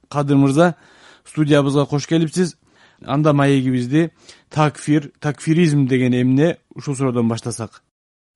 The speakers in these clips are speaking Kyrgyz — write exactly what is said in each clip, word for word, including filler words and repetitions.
Кадыр мырза, студиябызга кош келипсиз. Анда маегибизди такфир, такфиризм деген эмне, ушул суроодон баштасак.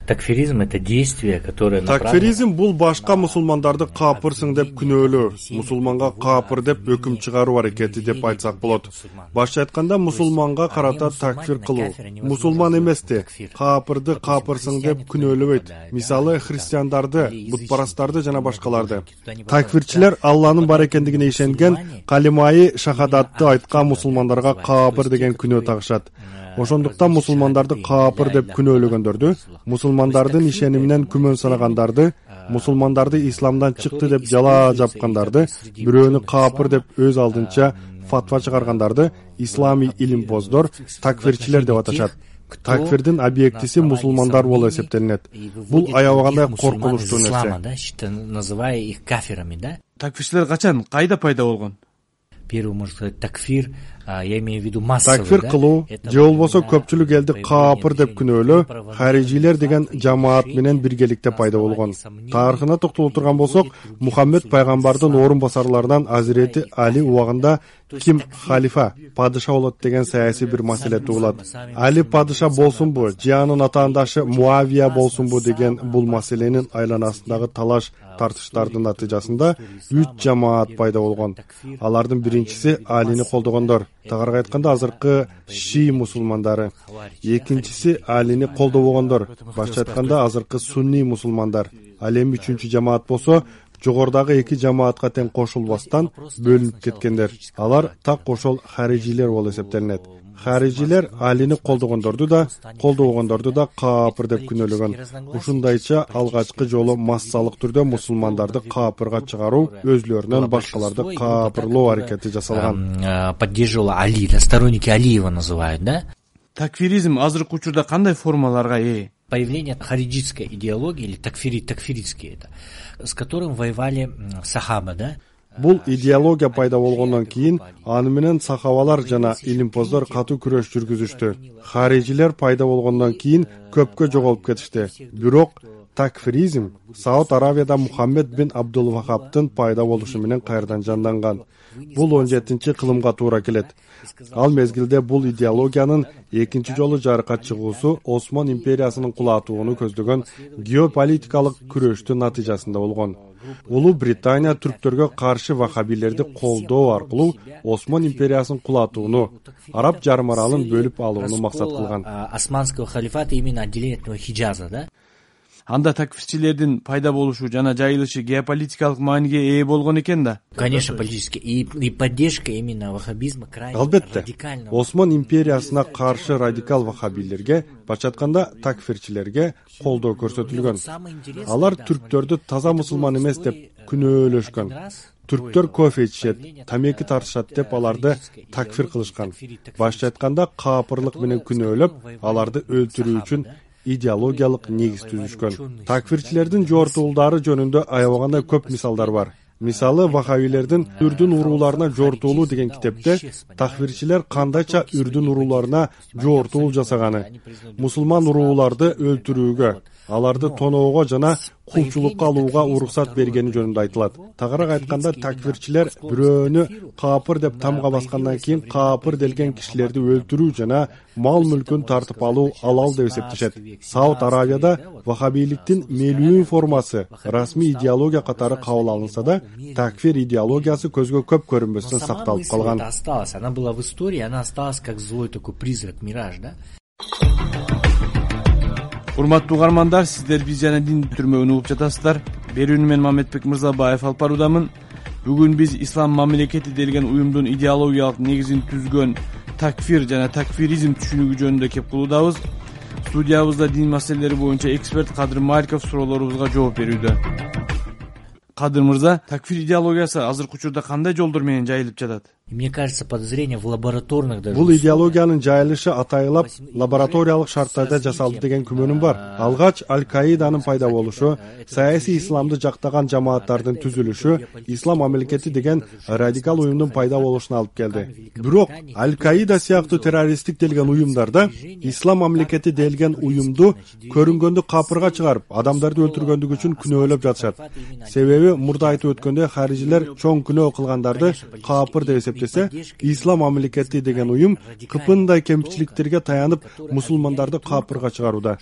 Такфиризм — это действие, которое Такфиризм бул башка мусулмандарды капырсың деп күнөөлөө, мусулманга капыр деп өкүм чыгаруу аракети деп айтсак болот. Башча айтканда, мусулманга карата такфир кылуу. Мусулман эмести, капырды капырсың деп күнөөлөбөйт. Мисалы, христиандарды, бутпарастарды жана башкаларды. Такфирчилер Алланын бар экендигине ишенген, калимаи шахадатты айткан мусулмандарга капыр деген күнөө тагышат. Ошондуктан мусулмандарды капыр деп күнөөлөгөндөрдү, мусулмандардын ишениминен күмөн санагандарды, мусулмандарды исламдан чыкты деп жала жапкандарды, бирөөнү капыр деп өз алдынча фатва чыгаргандарды исламий илимпоздор, такфирчилер деп аташат. Такфирдин объектиси мусулмандар болуп эсептелинет. Бул аябагандай коркунучтуу нерсе. Называя их кафирами, да? Такфирчилер качан, кайда пайда болгон? Первый, можно сказать, такфир, я имею в виду массовый, такфир кылуу, же болбосо көпчүлүк элди капыр деп күнөөлөө харижилер деген жамаат менен биргеликте пайда болгон. Тарыхына токтоло турган болсок, Мухаммед пайгамбардын орун басарларынан Азирети Али убагында ким халифа, падыша болот деген саясий бир маселе туулат. Али падыша болсунбу, же анын атаандашы Муавия болсунбу деген бул маселенин айланасындагы талаш тартыштардын натыйжасында үч жамаат пайда болгон. Алардын биринчиси Алини колдогондор, тагыраагы айтканда азыркы шии мусулмандары. Экинчиси Алини колдобогондор, башка айтканда азыркы сунни мусулмандар. Ал эми үчүнчү жамаат болсо жогордагы эки жамаатка тең кошулбастан бөлүнүп кеткендер. Алар так ошол харижилер болуп эсептелинет. Харижилер Алини колдогондорду да, колдобогондорду да капыр деп күнөөлөгөн. Ушундайча алгачкы жолу массалык түрдө мусулмандарды капырга чыгаруу, өзлөрүнөн башкаларды капырлоо аракети жасалган. Поддерживал Али, сторонники Алиева называют, да? Такфиризм азыркы учурда кандай формаларга ээ? Появление хариджитской идеологии, или такфири, такфиритский это, с которым воевали сахаба, да? Бул идеология пайда болгондон кийин аны менен сахабалар жана илимпоздор катуу күрөш жүргүзүштү. Харижилер пайда болгондон кийин көпкө жоголуп кетишти. Бирок такфиризм Сауд Аравияда Мухаммед бин Абдул Вахабтын пайда болушу менен кайрадан жанданган. Бул он жетинчи кылымга туура келет. Ал мезгилде бул идеологиянын экинчи жолу жарыкка чыгуусу Осман империясынын кулатууну көздөгөн геополитикалык күрөштүн натыйжасында болгон. Улуу Британия түрктөргө каршы вахабилерди колдоо аркылуу Осман империясынын кулатууну, Араб жарым аралын бөлүп алууну максат кылган. Османского халифата именно отделение от Хиджаза, да? Анда такфирчилердин пайда болушу жана жайылышы геополитикалык мааниге ээ болгон экен да. Конечно, политически и, и поддержка именно ваххабизма крайне радикальна. Осман империясына каршы радикал ваххабилерге, башка айтканда такфирчилерге колдоо көрсөтүлгөн. Алар түрктөрдү таза мусулман эмес деп күнөөлөшкөн. Түрктөр кофе ичишет, тамеки тартышат деп аларды такфир кылышкан. Башка айтканда капырлык менен күнөөлөп, аларды өлтүрүү үчүн идеологиялык негиз түзүшкөн. Такфирчилердин жортуулдары жөнүндө аябагандай көп мисалдар бар. Мисалы, вахабилердин үрдүн урууларына жортуулуу деген китепте такфирчилер кандайча үрдүн урууларына жортуул жасаганы, мусулман урууларды өлтүрүүгө, аларды тоноого жана кулчулукка алууга уруксат бергени жөнүндө айтылат. Тагыраак айтканда, такфирчилер бирөөнү капыр деп тамга баскандан кийин капыр делген кишилерди өлтүрүү жана мал мүлкүн тартып алуу алал деп эсептешет. Сауд Аравияда вахабиликтин мелүү формасы расмий идеология катары кабыл алынса да, такфир идеологиясы көзгө көп көрүнбөстөн сакталып калган. Она была в истории, она осталась как злой такой призрак, мираж, да? Урматтуу угармандар, сиздер биз жана дин бүтүрмөгүн угуп жатасыздар. Берүүнү мен Мамедбек Мырзабаев алып баруудамын. Бүгүн биз ислам мамлекети делген уюмдун идеологиялык негизин түзгөн такфир жана такфиризм түшүнүгү жөнүндө кеп кылуудабыз. Студиябызда дин маселелери боюнча эксперт Кадыр Маликов суроолорубузга жооп берүүдө. Кадыр мырза, такфир идеологиясы азыркы учурда кандай жолдор менен жайылып жатат? Мне кажется, подозрение в лабораторных даже. Бул идеологиянын жайылышы атайылап лабораториялык шарттарда жасалды деген күмөнүм бар. Алгач Аль-Каиданын пайда болушу, саясий исламды жактаган жамааттардын түзүлүшү, ислам мамлекети деген радикал уюмдун пайда болушуна алып келди. Бирок Аль-Каида сыяктуу террористтик делген уюмдарда ислам мамлекети делген уюмду көрүнгөндү капырга чыгарып, адамдарды өлтүргөндүк үчүн күнөөлөп жатышат. Себеби мурда айтып өткөндөй харижилер чоң күнөө кылгандарды капыр деп эсептешет. Ислам мамлекети деген уюм кыпындай кемчиликтерге таянып мусулмандарды капырга чыгарууда.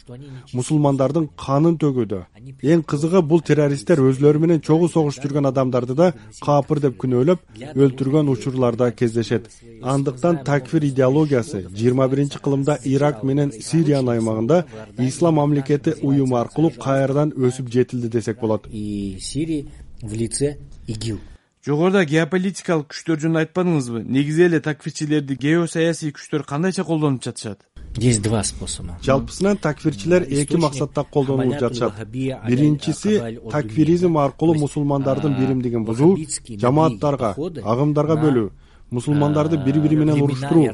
Мусулмандардын канын төгүүдө. Эң кызыгы бул террористтер өзлөрү менен чогуу согуш жүргөн адамдарды да капыр деп күнөөлөп өлтүргөн учурларда кездешет. Андыктан такфир идеологиясы жыйырма биринчи кылымда Ирак менен Сириянын аймагында ислам мамлекети уюму аркылуу кайрадан өсүп жетилди десек болот. И Сирии в лице ИГИЛ. Жогоруда геополитикалык күчтөр жөнүндө айтпадыңызбы? Негизи эле такфирчилерди геосаясий күчтөр кандайча колдонуп жатышат? Есть два способа. Жалпысынан такфирчилер эки максатта колдонулуп жатышат. Биринчиси такфиризм аркылуу мусулмандардын биримдигин бузуу, жамааттарга, агымдарга бөлүү, мусулмандарды бири-бири менен уруштуруу.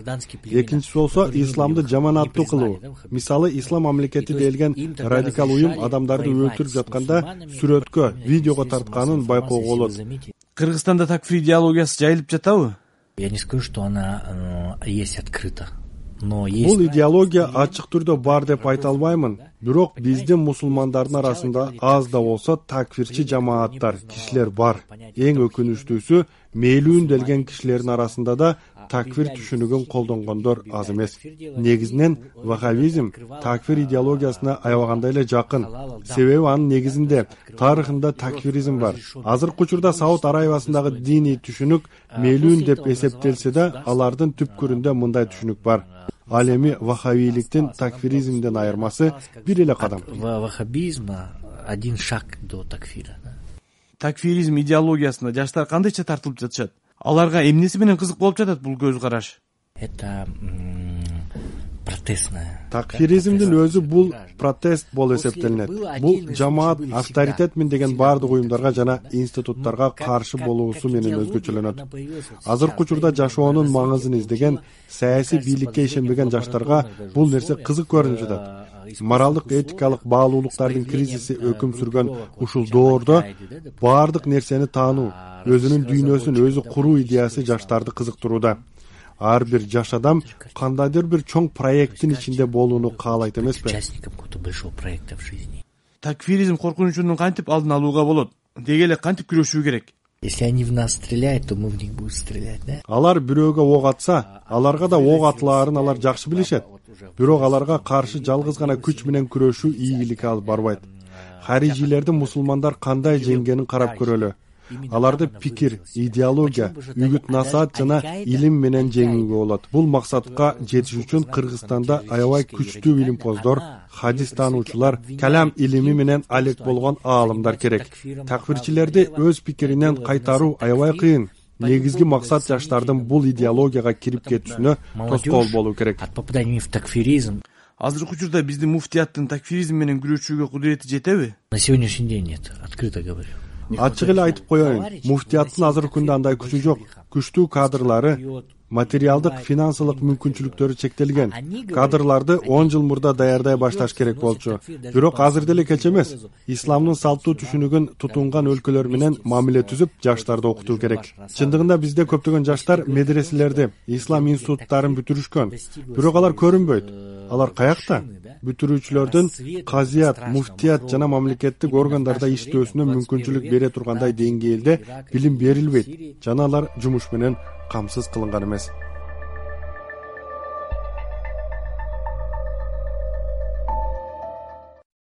Экинчиси болсо исламды жаманаттуу кылуу. Мисалы, ислам мамлекети делген радикал уюм адамдарды өлтүрүп жатканда сүрөткө, видеого тартканын байкоого болот. Кыргызстанда такфир идеологиясы жайылып жатабы? Я не скажу, что она э, есть открыто. Но есть... Бул идеология ачык түрдө бар деп айта албаймын. Бирок биздин мусулмандардын арасында аз да болсо такфирчи жамааттар, кишилер бар. Эң өкүнүчтүүсү, мээлүүн делген кишилердин арасында да такфир түшүнүгүн колдонгондор аз эмес. Негизинен ваххабизм такфир идеологиясына аябаганда эле жакын. Себеби анын негизинде тарыхында такфиризм бар. Азыркы учурда Сауд Арабиясындагы диний түшүнүк мээлүүн деп эсептелсе да, алардын түпкүрүндө мындай түшүнүк бар. Ал эми ваххабиликтин такфиризмден айырмасы бир эле кадам. Ваххабизма один шаг до такфира. Такфиризм идеологиясына жаштар кандайча тартылып жатышат? Аларга эмнеси менен кызык болуп жатат бул көз караш? Это протестная. Такфиризмдин өзү бул протест болуп эсептелинет. Бул жамаат авторитетмин деген баардык уюмдарга жана институттарга каршы болуусу менен өзгөчөлөнөт. Азыркы учурда жашоонун маңызын издеген, саясий бийликке ишенбеген жаштарга бул нерсе кызык көрүнүп жатат. Моралдык этикалык баалуулуктардын кризиси өкүм сүргөн ушул доордо баардык нерсени таануу, өзүнүн дүйнөсүн өзү куруу идеясы жаштарды кызыктырууда. Ар бир жаш адам кандайдыр бир чоң проекттин ичинде болууну каалайт эмеспи? Участником какого-то большого проекта в жизни. Такфиризм коркунучунун кантип алдын алууга болот? Деги эле кантип күрөшүү керек? Если они в нас стреляют, то мы в них будем стрелять, да? Алар бирөөгө ок атса, аларга да ок атылаарын алар жакшы билишет. Бирок аларга каршы жалгыз гана күч менен күрөшүү ийгиликке алып барбайт. Харижилерди мусулмандар кандай жеңгенин карап көрөлү. Аларды пикир, идеология, үгүт насаат жана илим менен жеңүүгө болот. Бул максатка жетиш үчүн Кыргызстанда аябай күчтүү илимпоздор, хадис таануучулар, калам илими менен алек болгон аалымдар керек. Такфирчилерди өз пикиринен кайтаруу аябай кыйын. Негизги максат жаштардын бул идеологияга кирип кетүүсүнө тоскоол болуу керек. От попадания в такфиризм. Азыркы учурда биздин муфтияттын такфиризм менен күрөшүүгө кудурети жетеби? На сегодняшний день нет, открыто говорю. Ачык эле айтып коеюн, муфтияттын азыркы күндө андай күчү жок. Күчтүү кадрлары, материалдык, финансылык мүмкүнчүлүктөрү чектелген. Кадрларды он жыл мурда даярдай башташ керек болчу. Бирок азыр деле кеч эмес. Исламдын салттуу түшүнүгүн тутунган өлкөлөр менен мамиле түзүп, жаштарды окутуу керек. Чындыгында бизде көптөгөн жаштар медреселерди, ислам институттарын бүтүрүшкөн. Бирок алар көрүнбөйт. Алар каякта? Бүтүрүүчүлөрдүн казият, муфтият жана мамлекеттик органдарда иштөөсүнө мүмкүнчүлүк бере тургандай деңгээлде билим берилбейт. Жана алар жумуш менен камсыз кылынган эмес.